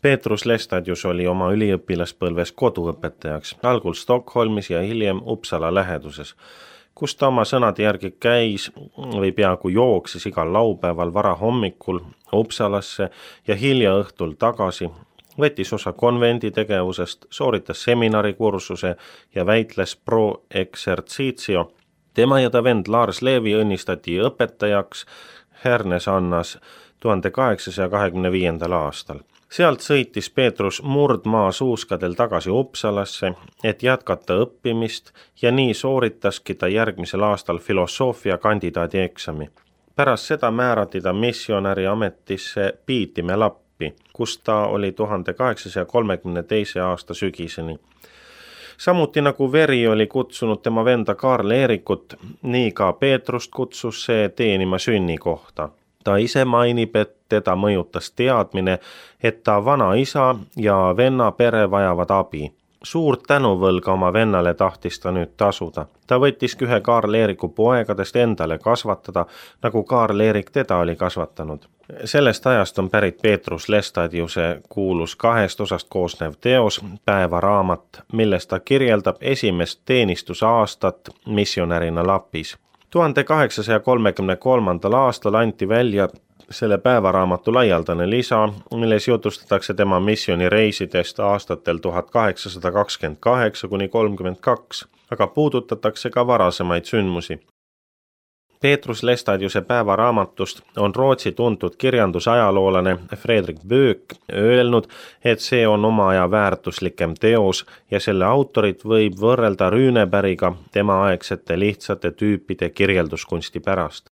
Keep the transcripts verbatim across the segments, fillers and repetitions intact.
Petrus Lestadius oli oma üliõpilaspõlves koduõpetajaks, algul Stockholmis ja hiljem Uppsala läheduses, kus ta oma sõnade järgi käis või peaaegu jooksis igal laupäeval varahommikul Uppsalasse ja hilja õhtul tagasi, võttis osa konvendi tegevusest, sooritas seminarikursuse ja väitles pro exercitio. Tema ja ta vend Lars Levi õnnistati õpetajaks Härnesannas tuhande kaheksasaja kahekümne viiendal aastal. Sealt sõitis Petrus murdmaa suuskadel tagasi Uppsalasse, et jätkata õppimist ja nii sooritaski ta järgmisel aastal filosoofia kandidaadi eksami. Pärast seda määrati ta missionäri ametisse Piitime Lappi, kus ta oli tuhande kaheksasaja kolmekümne teise aasta sügiseni. Samuti nagu veri oli kutsunud tema venda Karl Eerikut, nii ka Peetrust kutsus see teenima sünnikohta. Ta ise mainib, et teda mõjutas teadmine, et ta vana isa ja venna pere vajavad abi. Suurt tänuvõlga oma vennale tahtis ta nüüd tasuda. Ta võttiski ühe Karl Eeriku poegadest endale kasvatada, nagu Karl Eerik teda oli kasvatanud. Sellest ajast on pärit Petrus Lestadiuse kuulus kahest osast koosnev teos Päevaraamat, milles ta kirjeldab esimest teenistusaastat missionärina Lapis. tuhande kaheksasaja kolmekümne kolmandal aastal anti välja selle päevaraamatu laialdane lisa, milles jutustatakse tema missionireisidest aastatel tuhat kaheksasada kakskümmend kaheksa kuni kolmkümmend kaks, aga puudutatakse ka varasemaid sündmusi. Petrus Lestadiuse päevaraamatust on Rootsi tuntud kirjandusajaloolane Fredrik Böök öelnud, et see on oma aja väärtuslikem teos ja selle autorit võib võrrelda Rüünebergiga tema aegsete lihtsate tüüpide kirjelduskunsti pärast.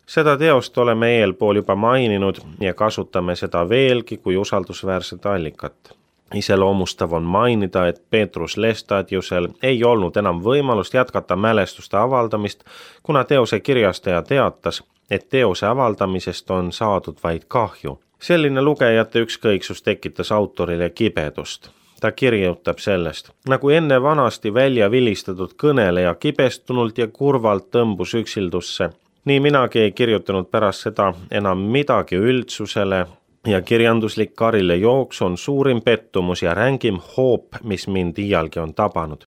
Seda teost oleme eelpool juba maininud ja kasutame seda veelgi kui usaldusväärset allikat. Iseloomustav on mainida, et Petrus Lestadiusel ei olnud enam võimalust jätkata mälestuste avaldamist, kuna teose kirjastaja teatas, et teose avaldamisest on saadud vaid kahju. Selline lugejate ükskõiksus tekitas autorile kibedust. Ta kirjutab sellest, nagu enne vanasti välja vilistatud kõneleja kibestunult ja kurvalt tõmbus üksildusse, nii minagi ei kirjutanud pärast seda enam midagi üldsusele ja kirjanduslik karile jooks on suurim pettumus ja rängim hoop, mis mind iialgi on tabanud.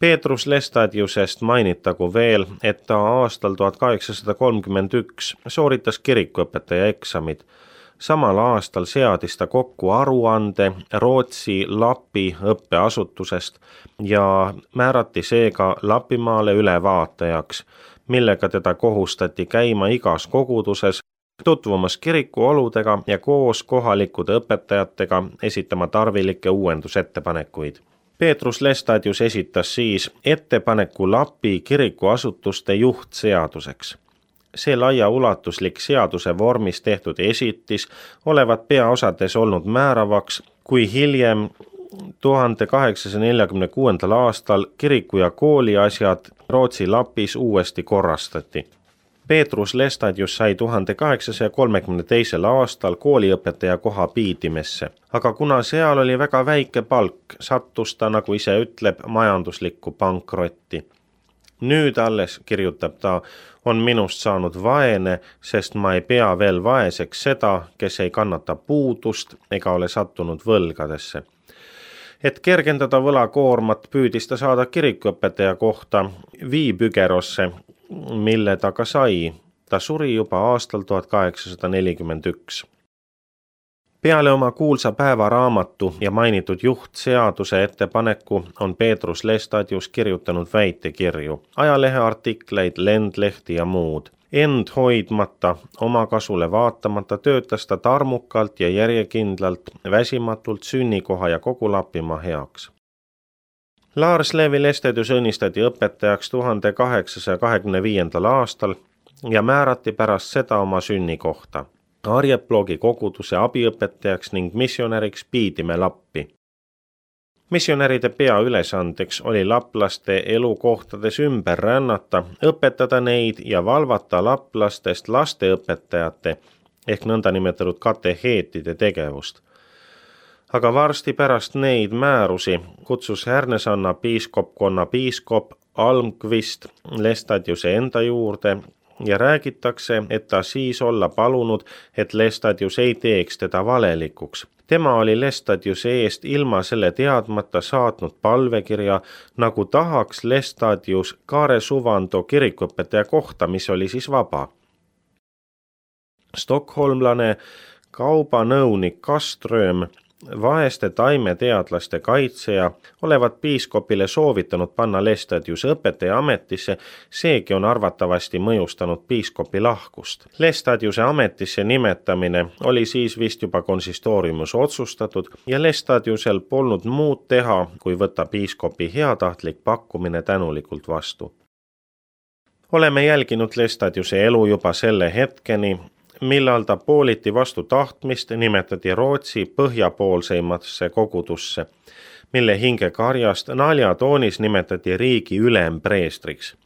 Petrus Lestadiusest mainitagu veel, et ta aastal tuhat kaheksasada kolmkümmend üks sooritas kirikuõpetaja eksamid. Samal aastal seadis ta kokku aruande Rootsi Lapi õppeasutusest ja määrati seega Lapimaale ülevaatajaks, millega teda kohustati käima igas koguduses, tutvumas kiriku oludega ja koos kohalikude õpetajatega esitama tarvilikke uuendusettepanekuid. Petrus Lestadius esitas siis ettepaneku Lapi kirikuasutuste juhtseaduseks. See laiaulatuslik seaduse vormis tehtud esitis olevat peaosades olnud määravaks, kui hiljem tuhande kaheksasaja neljakümne kuuendal aastal kiriku ja kooli asjad Rootsi Lapis uuesti korrastati. Petrus Lestadius sai tuhande kaheksasaja kolmekümne teisel aastal kooliõpetaja koha Piitimesse, aga kuna seal oli väga väike palk, sattus ta, nagu ise ütleb, majanduslikku pankrotti. Nüüd alles, kirjutab ta, on minust saanud vaene, sest ma ei pea veel vaeseks seda, kes ei kannata puudust ega ole sattunud võlgadesse. Et kergendada võlakoormat püüdis ta saada kirikuõpetaja kohta Viipügerosse, mille ta ka sai. Ta suri juba aastal tuhat kaheksasada nelikümmend üks. Peale oma kuulsa päevaraamatu ja mainitud juhtseaduse ettepaneku on Petrus Lestadius kirjutanud väitekirju, ajaleheartikleid, lendlehti ja muud. End hoidmata, oma kasule vaatamata töötas ta tarmukalt ja järjekindlalt, väsimatult sünnikoha ja kogu Lapimaa heaks. Lars Levi Lestadius õnnistati õpetajaks tuhande kaheksasaja kahekümne viiendal aastal ja määrati pärast seda oma sünnikohta. Arjeplogi koguduse abiõpetajaks ning missionäriks Piitime Lappi. Missionäride peaülesandeks oli laplaste elukohtades ümber rännata, õpetada neid ja valvata laplastest lasteõpetajate ehk nõndanimetatud kateheetide tegevust. Aga varsti pärast neid määrusi kutsus Härnesanna piiskopkonna piiskop Almqvist Lestadiuse enda juurde ja räägitakse, et ta siis olla palunud, et Lestadius ei teeks teda valelikuks. Tema oli Lestadiuse eest ilma selle teadmata saatnud palvekirja, nagu tahaks Lestadius Kaare Suvando kirikuõpetaja kohta, mis oli siis vaba. Stockholmlane kaubanõunik Kaström, vaeste taimeteadlaste kaitseja, olevat piiskopile soovitanud panna Lestadiuse õpetaja ametisse, seegi on arvatavasti mõjustanud piiskopi lahkust. Lestadiuse ametisse nimetamine oli siis vist juba konsistooriumus otsustatud ja Lestadiusel polnud muud teha, kui võtta piiskopi heatahtlik pakkumine tänulikult vastu. Oleme jälginud Lestadiuse elu juba selle hetkeni, millal ta pooliti vastu tahtmist nimetati Rootsi põhjapoolseimasse kogudusse, mille hingekarjast naljatoonis nimetati riigi ülempreestriks.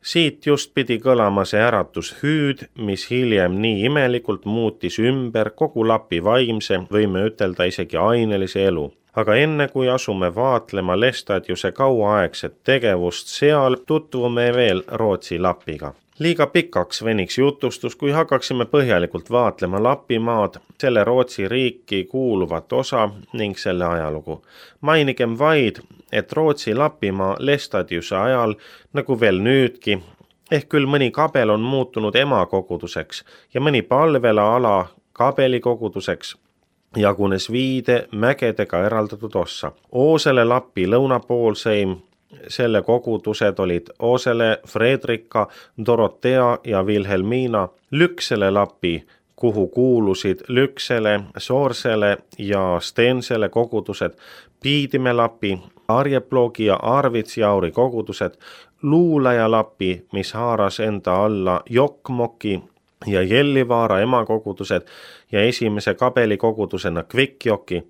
Siit just pidi kõlama see äratushüüd, mis hiljem nii imelikult muutis ümber kogu Lapi vaimse, võime ütelda isegi ainelise elu. Aga enne kui asume vaatlema Lestadiuse kauaaegset tegevust seal, tutvume veel Rootsi Lapiga. Liiga pikaks veniks jutustus, kui hakkaksime põhjalikult vaatlema Lapimaad, selle Rootsi riiki kuuluvat osa ning selle ajalugu. Mainigem vaid, et Rootsi Lapimaa Lestadiuse ajal, nagu veel nüüdki, ehk küll mõni kabel on muutunud emakoguduseks ja mõni palvela ala kabelikoguduseks, jagunes viide mägedega eraldatud ossa. Oosele Lapi lõunapoolseim, selle kogudused olid Oosele, Fredrika, Dorotea ja Vilhelmina, Lüksele Lapi, kuhu kuulusid Lüksele, Soorsele ja Stensele kogudused, Piidime Lapi, Arjeplogi ja Arvitsjauri kogudused, Luulaja Lapi, mis haaras enda alla Jokkmokki ja Jellivaara emakogudused ja esimese kabelikogudusena Kvikjoki,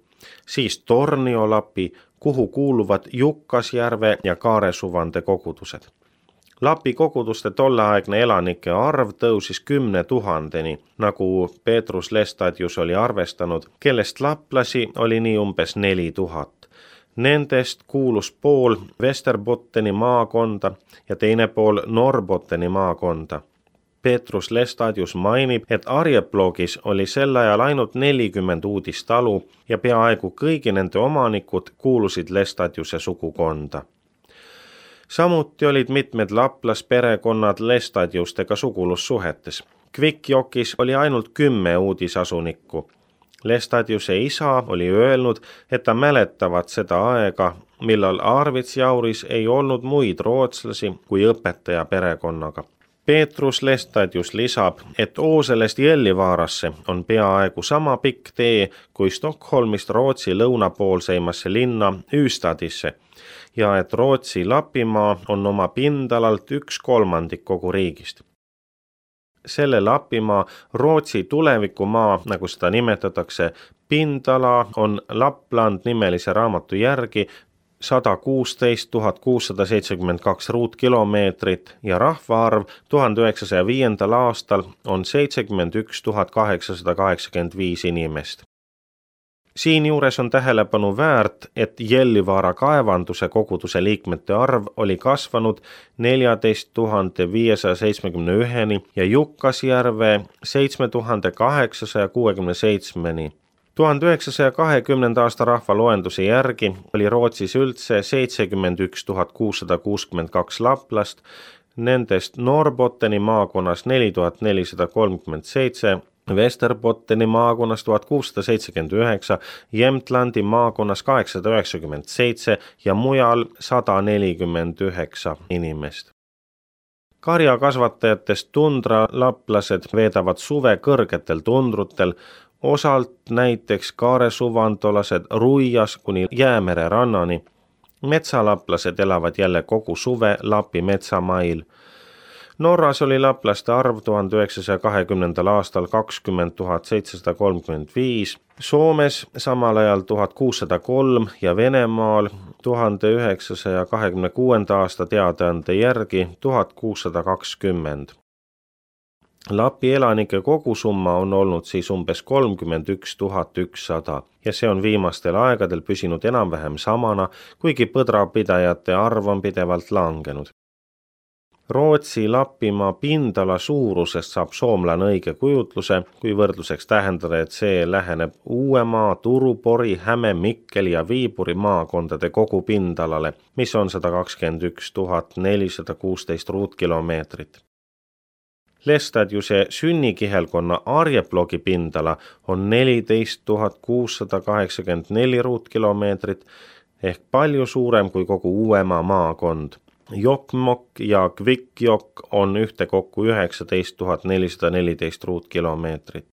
siis Tornio Lapi, kuhu kuuluvad Jukkasjärve ja Kaare Suvande kogudused. Lapi koguduste tolleaegne elanike arv tõusis kümne tuhandeni, nagu Petrus Lestadius oli arvestanud, kellest laplasi oli nii umbes neli tuhat. Nendest kuulus pool Västerbotteni maakonda ja teine pool Norrbotteni maakonda. Petrus Lestadius mainib, et Arjeplogis oli sel ajal ainult nelikümmend uudistalu ja peaaegu kõigi nende omanikud kuulusid Lestadiuse sugukonda. Samuti olid mitmed laplasperekonnad Lestadiustega sugulussuhetes. Kvikjokis oli ainult kümme uudisasunikku. Lestadiuse isa oli öelnud, et ta mäletavad seda aega, millal Arvitsjauris ei olnud muid rootslasi kui õpetaja perekonnaga. Petrus Lestadius lisab, et Ooselest Jellivaarasse on peaaegu sama pikk tee kui Stockholmist Rootsi lõunapoolseimasse linna Ystadisse ja et Rootsi Lapimaa on oma pindalalt üks kolmandik kogu riigist. Selle Lapimaa Rootsi tulevikumaa, nagu seda nimetatakse, pindala on Lapland nimelise raamatu järgi sada kuusteist tuhat kuussada seitsekümmend kaks ruutkilomeetrit ja rahvaarv tuhande üheksasaja viiendal aastal on seitsekümmend üks tuhat kaheksasada kaheksakümmend viis inimest. Siinjuures on tähelepanu väärt, et Jellivaara kaevanduse koguduse liikmete arv oli kasvanud neljateist tuhande viiesaja seitsmekümne üheni ja Jukkasjärve seitse tuhat kaheksasada kuuskümmend seitse-ni. tuhande üheksasaja kahekümnenda aasta rahvaloenduse järgi oli Rootsis üldse seitsekümmend üks tuhat kuussada kuuskümmend kaks laplast, nendest Norrbotteni maakonnas neli tuhat nelisada kolmkümmend seitse, Västerbotteni maakonnas tuhat kuussada seitsekümmend üheksa, Jämtlandi maakonnas kaheksasada üheksakümmend seitse ja mujal sada nelikümmend üheksa inimest. Karjakasvatajatest tundralaplased veedavad suve kõrgetel tundrutel, osalt näiteks Kaare Suvandolased Ruias kuni Jäämere rannani. Metsalaplased elavad jälle kogu suve Lapi metsamail. Norras oli laplaste arv tuhande üheksasaja kahekümnendal aastal kakskümmend tuhat seitsesada kolmkümmend viis, Soomes samal ajal tuhat kuussada kolm ja Venemaal tuhande üheksasaja kahekümne kuuenda aasta teadaande järgi tuhat kuussada kakskümmend. Lapi elanike kogusumma on olnud siis umbes kolmkümmend üks tuhat ükssada ja see on viimastel aegadel püsinud enam-vähem samana, kuigi põdrapidajate arv on pidevalt langenud. Rootsi Lapimaa pindala suurusest saab soomlane õige kujutluse, kui võrdluseks tähendada, et see läheneb Uuemaa, Turu, Pori, Häme, Mikkeli ja Viipuri maakondade kogu pindalale, mis on sada kakskümmend üks tuhat nelisada kuusteist ruutkilomeetrit. Lestadiuse sünnikihelkonna Arjeplogi pindala on neliteist tuhat kuussada kaheksakümmend neli ruutkilomeetrit ehk palju suurem kui kogu Uuemaa maakond. Jokkmokk ja Kvikkjokk on ühtekokku üheksateist tuhat nelisada neliteist ruutkilomeetrit.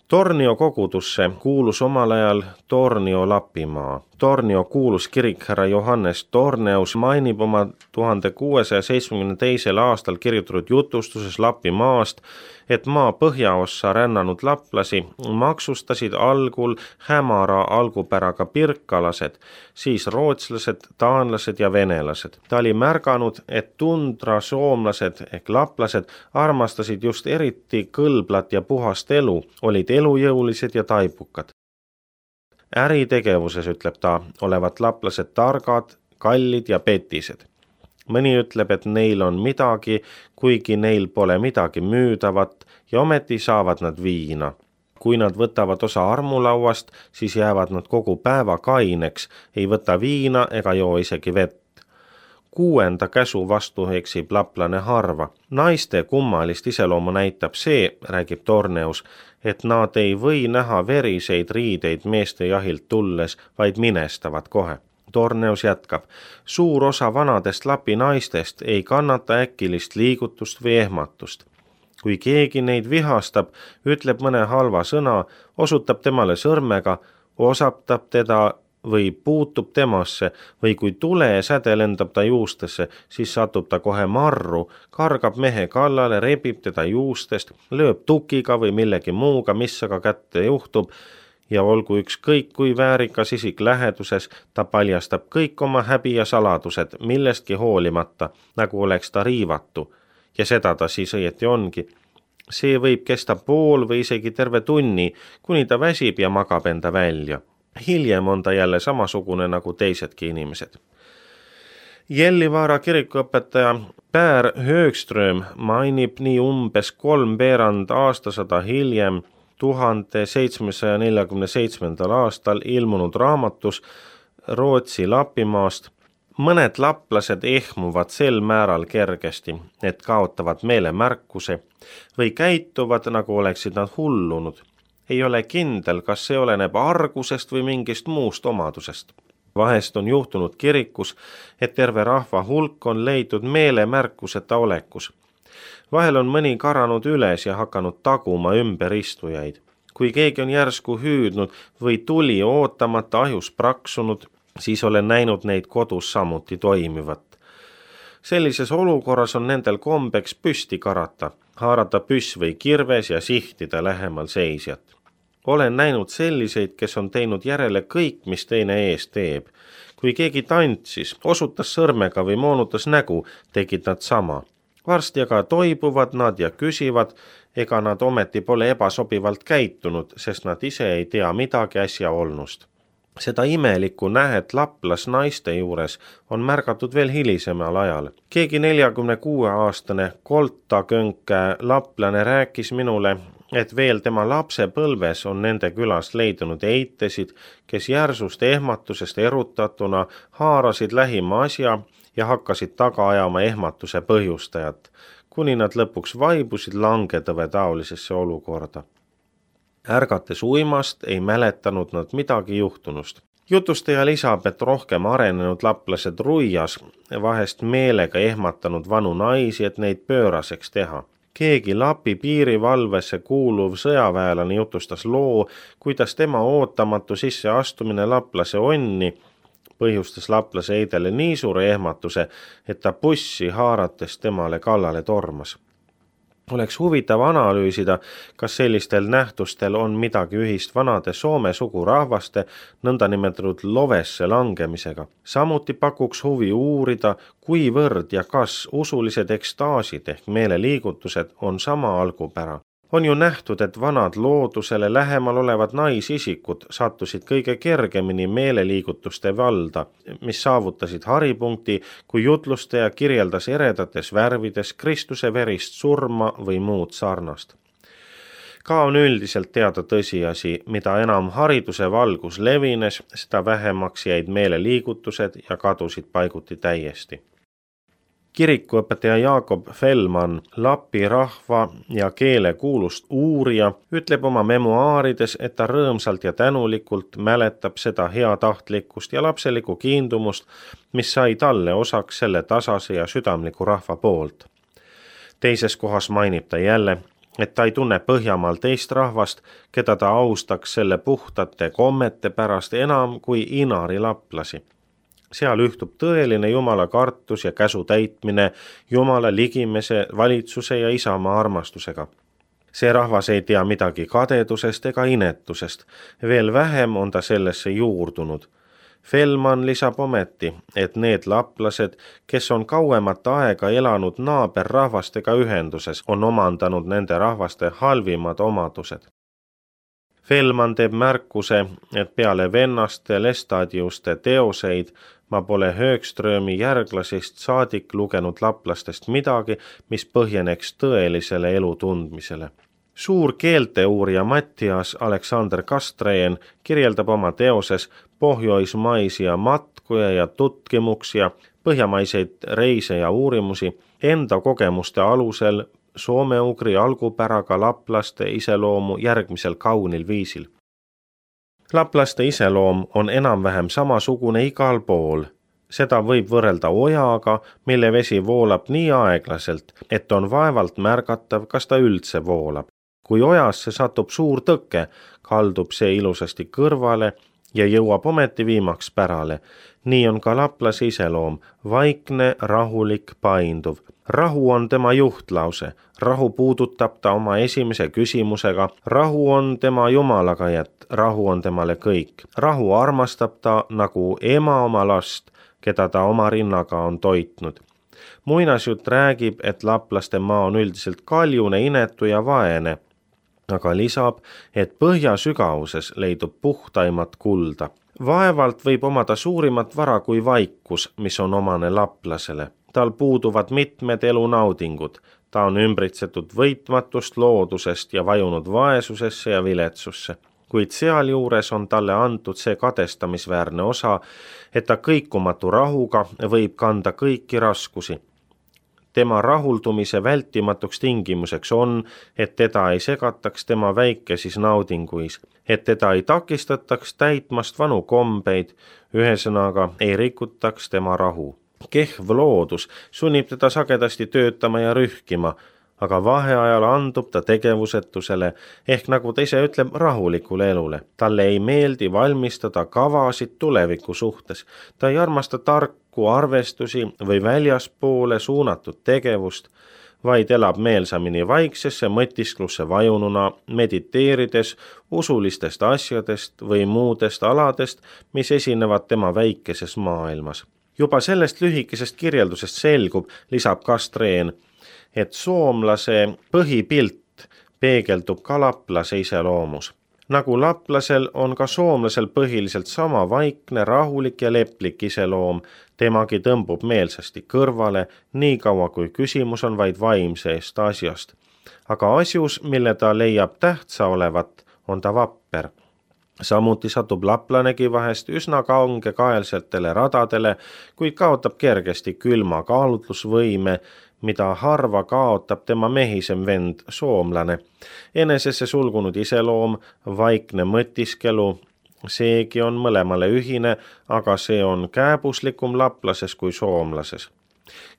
Tornio kogudusse kuulus omal ajal Tornio Lapimaa. Tornio kuulus kirikherra Johannes Torneus mainib oma tuhande kuuesaja seitsmekümne teisel aastal kirjutatud jutustuses Lapimaast, et maa põhjaossa rännanud laplasi maksustasid algul hämara algupäraga pirkalased, siis rootslased, taanlased ja venelased. Ta oli märganud, et tundra soomlased ehk laplased armastasid just eriti kõlblat ja puhast elu, olid elujõulised ja taibukad. Äritegevuses, ütleb ta, olevat laplased targad, kallid ja petised. Mõni ütleb, et neil on midagi, kuigi neil pole midagi müüdavat ja ometi saavad nad viina. Kui nad võtavad osa armulauast, siis jäävad nad kogu päeva kaineks, ei võta viina ega joo isegi vett. Kuuenda käsu vastu eksib laplane harva. Naiste kummalist iseloomu näitab see, räägib Torneus, et nad ei või näha veriseid riideid meeste jahilt tulles, vaid minestavad kohe. Torneus jätkab, suur osa vanadest Lapi naistest ei kannata äkilist liigutust või ehmatust. Kui keegi neid vihastab, ütleb mõne halva sõna, osutab temale sõrmega, osaptab teda või puutub temasse või kui tule säde lendab ta juustesse, siis satub ta kohe marru, kargab mehe kallale, rebib teda juustest, lööb tukiga või millegi muuga, mis aga kätte juhtub, ja olgu ükskõik kui väärikas isik läheduses, ta paljastab kõik oma häbi ja saladused, millestki hoolimata, nagu oleks ta riivatu. Ja seda ta siis õieti ongi. See võib kesta pool või isegi terve tunni, kuni ta väsib ja magab enda välja. Hiljem on ta jälle samasugune nagu teisedki inimesed. Jellivaara kirikuõpetaja Pär Högström mainib nii umbes kolmveerand aastasada hiljem tuhande seitsmesaja neljakümne seitsmendal aastal ilmunud raamatus Rootsi Lapimaast. Mõned laplased ehmuvad sel määral kergesti, et kaotavad meelemärkuse või käituvad, nagu oleksid nad hullunud. Ei ole kindel, kas see oleneb argusest või mingist muust omadusest. Vahest on juhtunud kirikus, et terve rahva hulk on leidnud meelemärkuseta olekus. Vahel on mõni karanud üles ja hakanud taguma ümber istujaid. Kui keegi on järsku hüüdnud või tuli ootamata ahjus praksunud, siis olen näinud neid kodus samuti toimivat. Sellises olukorras on nendel kombeks püsti karata, haarata püss või kirves ja sihtida lähemal seisjat. Olen näinud selliseid, kes on teinud järele kõik, mis teine ees teeb. Kui keegi tantsis, osutas sõrmega või moonutas nägu, tegid nad sama. Varsti aga toibuvad nad ja küsivad, ega nad ometi pole ebasobivalt käitunud, sest nad ise ei tea midagi äsja olnust. Seda imelikku nähet laplas naiste juures on märgatud veel hilisemal ajal. Keegi neljakümne kuue aastane koltakönkä laplane rääkis minule, et veel tema lapse põlves on nende külas leidunud eitesid, kes järsust ehmatusest erutatuna haarasid lähima asja ja hakkasid taga ajama ehmatuse põhjustajat, kuni nad lõpuks vaibusid langetõve taolisesse olukorda. Ärgates uimast ei mäletanud nad midagi juhtunust. Jutustaja lisab, et rohkem arenenud laplased ruias vahest meelega ehmatanud vanu naisi, et neid pööraseks teha. Keegi Lapi piirivalvesse kuuluv sõjaväelane jutustas loo, kuidas tema ootamatu sisseastumine laplase onni põhjustas laplase eidele nii suure ehmatuse, et ta bussi haarates temale kallale tormas. Oleks huvitav analüüsida, kas sellistel nähtustel on midagi ühist vanade Soome sugurahvaste nõndanimetatud lovesse langemisega. Samuti pakuks huvi uurida, kuivõrd ja kas usulised ekstaasid ehk meeleliigutused on sama algupära. On ju nähtud, et vanad loodusele lähemal olevad naisisikud sattusid kõige kergemini meeleliigutuste valda, mis saavutasid haripunkti, kui jutlustaja kirjeldas eredates värvides Kristuse verist surma või muud sarnast. Ka on üldiselt teada tõsiasi, mida enam hariduse valgus levines, seda vähemaks jäid meeleliigutused ja kadusid paiguti täiesti. Kirikuõpetaja Jakob Fellmann, Lapi rahva ja keele kuulust uurija, ütleb oma memuaarides, et ta rõõmsalt ja tänulikult mäletab seda heatahtlikkust ja lapselikku kiindumust, mis sai talle osaks selle tasase ja südamliku rahva poolt. Teises kohas mainib ta jälle, et ta ei tunne Põhjamaal teist rahvast, keda ta austaks selle puhtate kommete pärast enam kui inari laplasi. Seal ühtub tõeline Jumala kartus ja käsu täitmine Jumala ligimese, valitsuse ja isamaa armastusega. See rahvas ei tea midagi kadedusest ega inetusest, veel vähem on ta sellesse juurdunud. Fellmann lisab ometi, et need laplased, kes on kauemat aega elanud naaberrahvastega ühenduses, on omandanud nende rahvaste halvimad omadused. Fellmann teeb märkuse, et peale vennaste Lestadiuste teoseid ma pole Högströmi järglasest saadik lugenud laplastest midagi, mis põhjeneks tõelisele elu tundmisele. Suur keelteuurija Mattias Alexander Kastreen kirjeldab oma teoses pohjoismaisia matkuja ja tutkimuksia, põhjamaiseid reise ja uurimusi enda kogemuste alusel soome-ugri algupäraga laplaste iseloomu järgmisel kaunil viisil. Laplaste iseloom on enam-vähem samasugune igal pool. Seda võib võrrelda ojaga, mille vesi voolab nii aeglaselt, et on vaevalt märgatav, kas ta üldse voolab. Kui ojasse satub suur tõke, kaldub see ilusasti kõrvale ja jõuab ometi viimaks pärale. Nii on ka laplase iseloom, vaikne, rahulik, painduv. Rahu on tema juhtlause, rahu puudutab ta oma esimese küsimusega, rahu on tema Jumalaga jät, rahu on temale kõik. Rahu armastab ta nagu ema oma last, keda ta oma rinnaga on toitnud. Muinasjutt räägib, et laplaste maa on üldiselt kaljune, inetu ja vaene, aga lisab, et põhja sügavuses leidub puhtaimat kulda. Vaevalt võib omada suurimat vara kui vaikus, mis on omane laplasele. Tal puuduvad mitmed elunaudingud. Ta on ümbritsetud võitmatust loodusest ja vajunud vaesusesse ja viletsusse. Kuid sealjuures on talle antud see kadestamisväärne osa, et ta kõikumatu rahuga võib kanda kõiki raskusi. Tema rahuldumise vältimatuks tingimuseks on, et teda ei segataks tema väikesis naudinguis, et teda ei takistataks täitmast vanu kombeid, ühesõnaga ei rikutaks tema rahu. Kehv loodus sunnib teda sagedasti töötama ja rühkima, aga vaheajal andub ta tegevusetusele ehk nagu ta ise ütleb rahulikule elule. Talle ei meeldi valmistada kavasid tuleviku suhtes. Ta ei armasta tarku arvestusi või väljaspoole suunatud tegevust, vaid elab meelsamini vaiksesse mõtisklusse vajununa, mediteerides usulistest asjadest või muudest aladest, mis esinevad tema väikeses maailmas. Juba sellest lühikesest kirjeldusest selgub, lisab Kastreen, et soomlase põhipilt peegeldub ka laplase iseloomus. Nagu laplasel on ka soomlasel põhiliselt sama vaikne, rahulik ja leplik iseloom, temagi tõmbub meelsasti kõrvale, nii kaua kui küsimus on vaid vaimseest asjast. Aga asjus, mille ta leiab tähtsa olevat, on ta vapper. Samuti satub laplanegi vahest üsna kaungekaelsetele radadele, kuid kaotab kergesti külma kaalutlusvõime, mida harva kaotab tema mehisem vend, soomlane. Enesesse sulgunud iseloom, vaikne mõtiskelu, seegi on mõlemale ühine, aga see on kääbuslikum laplases kui soomlases.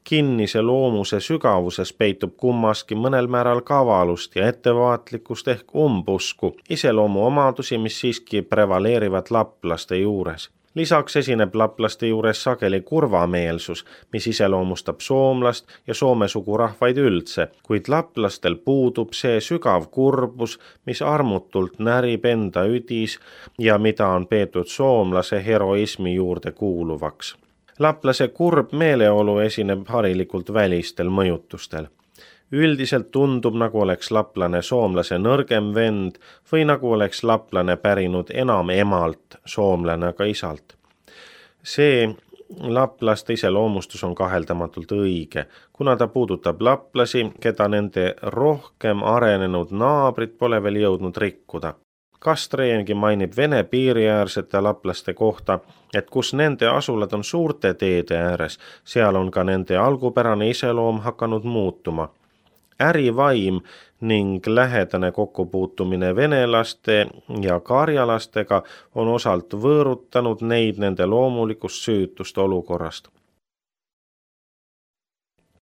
Kinnise loomuse sügavuses peitub kummaski mõnel määral kavalust ja ettevaatlikkust ehk umbusku, iseloomu omadusi, mis siiski prevaleerivad laplaste juures. Lisaks esineb laplaste juures sageli kurvameelsus, mis iseloomustab soomlast ja soome sugurahvaid üldse, kuid laplastel puudub see sügav kurbus, mis armutult närib enda üdis ja mida on peetud soomlase heroismi juurde kuuluvaks. Laplase kurb meeleolu esineb harilikult välistel mõjutustel. Üldiselt tundub, nagu oleks laplane soomlase nõrgem vend või nagu oleks laplane pärinud enam emalt, soomlane aga isalt. See laplaste iseloomustus on kaheldamatult õige, kuna ta puudutab laplasi, keda nende rohkem arenenud naabrid pole veel jõudnud rikkuda. Kastreengi mainib Vene piiriäärsete laplaste kohta, et kus nende asulad on suurte teede ääres, seal on ka nende algupärane iseloom hakanud muutuma. Ärivaim ning lähedane kokkupuutumine venelaste ja karjalastega on osalt võõrutanud neid nende loomulikust süütust olukorrast.